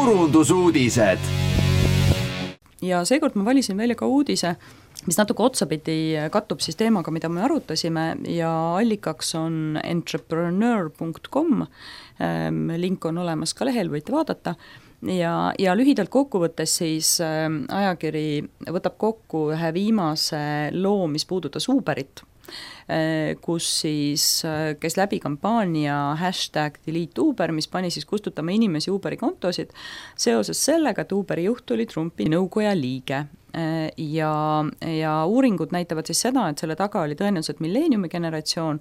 turundusuudised. Ja seekord ma valisin välja ka uudise, mis natuke otsapidi kattub siis teemaga, mida me arutasime ja allikaks on entrepreneur.com, link on olemas ka lehel, võite vaadata. Ja lühidalt kokkuvõttes siis ajakiri võtab kokku ühe viimase loo, mis puudutas Uberit, kus siis käis läbi kampaania #DeleteUber, mis pani siis kustutama inimesi Uberi kontosid seoses sellega, et Uberi juht oli Trumpi nõukoja liige. Ja uuringud näitavad siis seda, et selle taga oli tõenäoliselt milleeniumi generatsioon,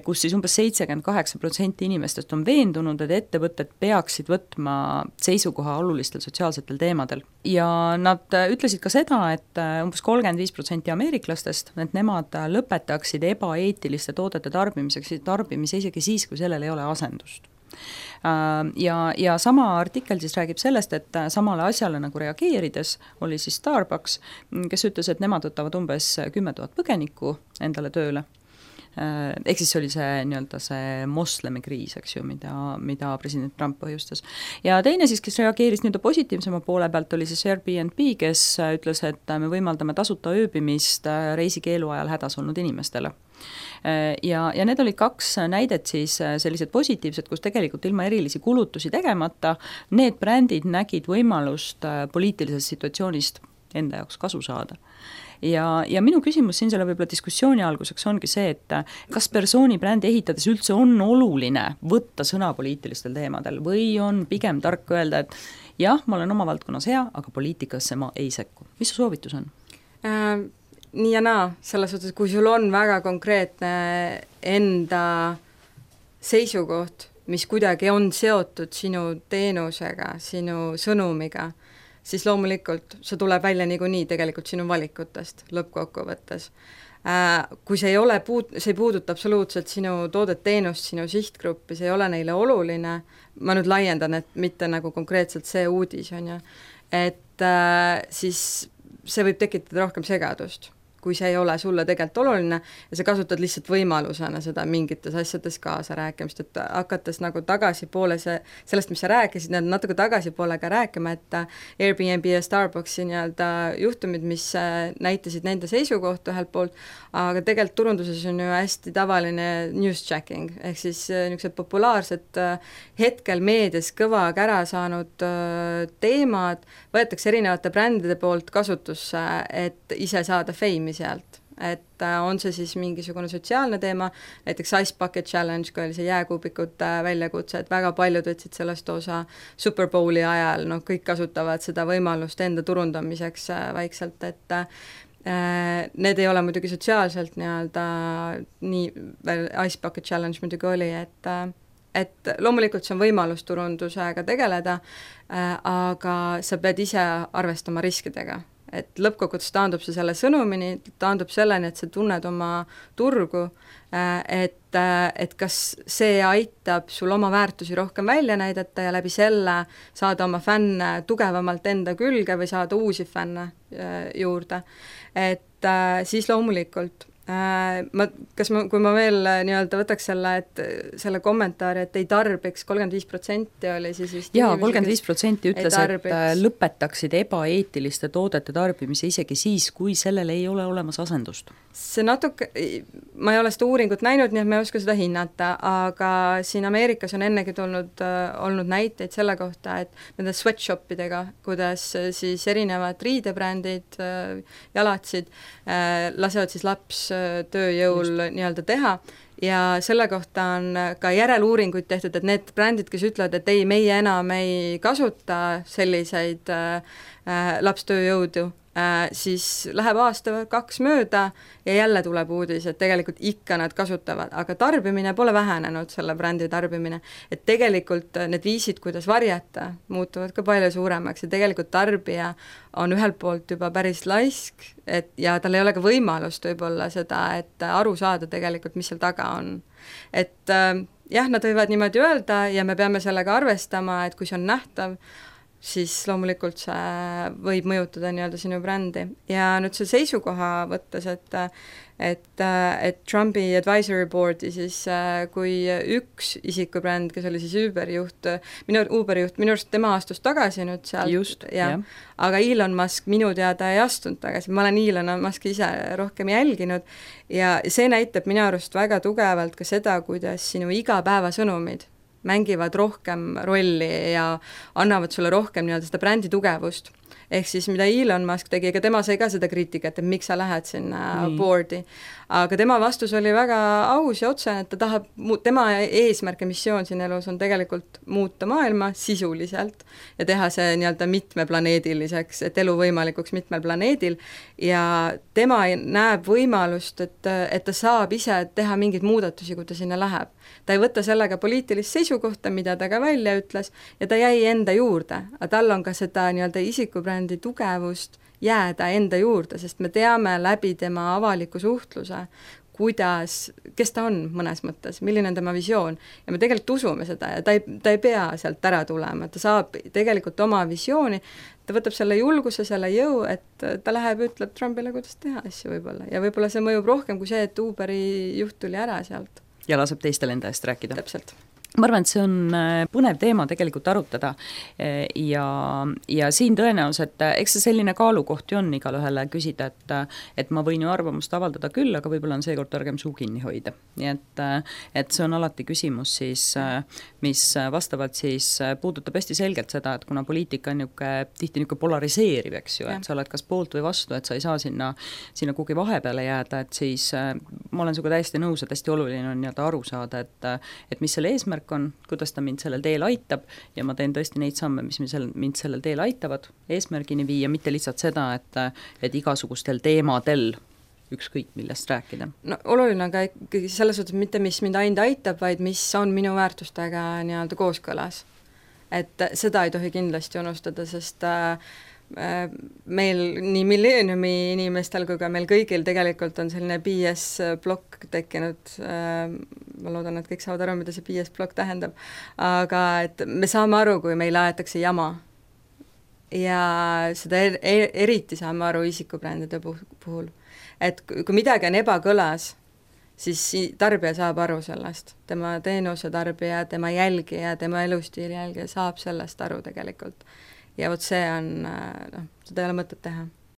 kus siis umbes 78% inimestest on veendunud, et ettevõtted peaksid võtma seisukoha olulistel sotsiaalsetel teemadel. Ja nad ütlesid ka seda, et umbes 35% ameeriklastest, et nemad lõpetaksid ebaeetiliste toodete tarbimise isegi siis, kui sellel ei ole asendust. Ja sama artikkel siis räägib sellest, et samale asjale nagu reageerides oli siis Starbucks, kes ütles, et nemad võtavad umbes 10 000 põgenikku endale tööle. Ehk siis oli see nii-öelda see moslemikriis, eks ju, mida president Trump põhjustas. Ja teine siis, kes reageeris nii-öelda positiivsema poole pealt, oli siis Airbnb, kes ütles, et me võimaldame tasuta ööbimist reisikeelu ajal hädas olnud inimestele. Ja need olid 2 näidet siis sellised positiivsed, kus tegelikult ilma erilisi kulutusi tegemata need brändid nägid võimalust poliitilisest situatsioonist enda jaoks kasu saada. Ja minu küsimus siin selle võib-olla diskussiooni alguseks ongi see, et kas persooni brändi ehitades üldse on oluline võtta sõna poliitilistel teemadel või on pigem tark öelda, et jah, ma olen oma valdkonnas hea, aga poliitikasse ma ei sekku. Mis su soovitus on? Nii ja naa, selles suhtes, kui sul on väga konkreetne enda seisukoht, mis kuidagi on seotud sinu teenusega, sinu sõnumiga, siis loomulikult see tuleb välja niikuinii tegelikult sinu valikutest lõppkokkuvõttes. Kui see ei puuduta absoluutselt sinu toodet teenust, sinu sihtgruppi, see ei ole neile oluline, ma nüüd laiendan, et mitte nagu konkreetselt see uudis on ju, et siis see võib tekitada rohkem segadust, kui see ei ole sulle tegelikult oluline ja sa kasutad lihtsalt võimalusena seda mingites asjades kaasa rääkimist, et hakates nagu tagasipoole sellest, mis sa rääkisid, natuke tagasipoole ka rääkima, et Airbnb ja Starbucksi nii-öelda juhtumid, mis näitasid nende seisukohta ühelt poolt, aga tegelikult turunduses on ju hästi tavaline news checking, ehk siis niisugused populaarsed hetkel meedias kõva kära saanud teemad võetakse erinevate brändide poolt kasutusse, et ise saada feimi sealt, et on see siis mingisugune sotsiaalne teema, näiteks Ice Bucket Challenge, kui oli see jääkuubikute väljakutse, et väga paljud võtsid sellest osa Super Bowli ajal, kõik kasutavad seda võimalust enda turundamiseks vaikselt, et need ei ole muidugi sotsiaalselt nii-öelda Ice Bucket Challenge muidugi oli, et loomulikult see on võimalus turundusega tegeleda, aga sa pead ise arvestama riskidega. Et lõppkokkuvõttes taandub see selle sõnumini, taandub selleni, et sa tunned oma turgu, et kas see aitab sul oma väärtusi rohkem välja näidata ja läbi selle saada oma fänne tugevamalt enda külge või saada uusi fänne juurde. Et siis loomulikult kui ma veel nii-öelda võtaks selle kommentaari, et ei tarbiks, 35% oli siis vist jaa, 35% ütles, et lõpetaksid ebaeetiliste toodete tarbimise isegi siis, kui sellel ei ole olemas asendust. See natuke, ma ei ole seda uuringut näinud, nii et ma ei oska seda hinnata, aga siin Ameerikas on ennegi olnud näiteid selle kohta, et nende sweatshopidega, kuidas siis erinevad riidebrändid, jalatsid, lasevad siis laps tööjõul nii-öelda teha ja selle kohta on ka järeluuringuid tehtud, et need brändid, kes ütlevad, et ei, meie enam ei kasuta selliseid lapstööjõudu, siis läheb aasta 2 mööda ja jälle tuleb uudis, et tegelikult ikka nad kasutavad, aga tarbimine pole vähenenud, selle brändi tarbimine, et tegelikult need viisid, kuidas varjata, muutuvad ka palju suuremaks ja tegelikult tarbija on ühelt poolt juba päris laisk, ja tal ei ole ka võimalust võib-olla seda, et aru saada tegelikult, mis seal taga on. Et jah, nad võivad niimoodi öelda ja me peame sellega arvestama, et kui see on nähtav, siis loomulikult see võib mõjutada nii-öelda sinu brändi. Ja nüüd see seisukoha võttes, et Trumpi advisory board'i siis kui üks isikubränd, kes oli siis Uberi juht, minu arust tema astus tagasi nüüd sealt, aga Elon Musk minu teada ei astunud tagasi, ma olen Elon Muski ise rohkem jälginud ja see näitab minu arust väga tugevalt ka seda, kuidas sinu igapäevasõnumid mängivad rohkem rolli ja annavad sulle rohkem nii-öelda seda brändi tugevust. Ehk siis mida Elon Musk tegi, ega tema sai ka seda kriitikat, et miks sa lähed sinna board'i. Aga tema vastus oli väga aus ja otsene, et ta tahab, tema eesmärk ja missioon siin elus on tegelikult muuta maailma sisuliselt ja teha see nii-öelda mitmeplaneediliseks, et elu võimalikuks mitmel planeedil ja tema näeb võimalust, et ta saab ise teha mingeid muudatusi, kui ta sinna läheb. Ta ei võta sellega poliitilist seisukohta, mida ta ka välja ütles ja ta jäi enda juurde, aga tal on ka seda nii-öelda isikubrändi tugevust jääda enda juurde, sest me teame läbi tema avaliku suhtluse, kes ta on mõnes mõttes, milline on tema visioon ja me tegelikult usume seda ja ta ei pea sealt ära tulema, ta saab tegelikult oma visiooni, ta võtab selle julguse, selle jõu, et ta läheb ja ütleb Trumpile, kuidas teha asju võib-olla ja võib-olla see mõjub rohkem kui see, et Uberi juht tuli ära sealt. Ja laseb teistel enda eest rääkida. Täpselt. Ma arvan, et see on põnev teema tegelikult arutada ja siin tõenäoliselt, eks see selline kaalukoht ju on igal ühele küsida, et ma võin ju arvamust avaldada küll, aga võib-olla on seekord targem suu kinni hoida. Nii et see on alati küsimus siis, mis vastavalt siis puudutab hästi selgelt seda, et kuna poliitika on tihti polariseeriv, eks ju, et sa oled kas poolt või vastu, et sa ei saa sinna kuhugi vahepeale jääda, et siis ma olen sinuga täiesti nõus, et hästi oluline on aru saada, et mis selle eesmärk on, kuidas ta mind sellel teel aitab ja ma teen tõesti neid samme, mis mind sellel teel aitavad eesmärgini viia, mitte lihtsalt seda, et igasugustel teemadel ükskõik millest rääkida. No oluline on ka ikkagi selles suhtes mitte, mis mind ainult aitab, vaid mis on minu väärtustega nii-öelda kooskõlas. Et seda ei tohi kindlasti unustada, sest meil nii Millenniumi inimestel kui ka meil kõigil tegelikult on selline BS-blokk tekkinud, ma loodan, et kõik saavad aru, mida see BS-blokk tähendab, aga et me saame aru, kui meil aetakse jama ja seda eriti saame aru isikubrändide puhul, et kui midagi on ebakõlas, siis tarbija saab aru sellest, tema teenuse tarbija, tema jälgija, tema elustiili jälgija saab sellest aru tegelikult. Ja vot see on, seda ei ole mõtet teha.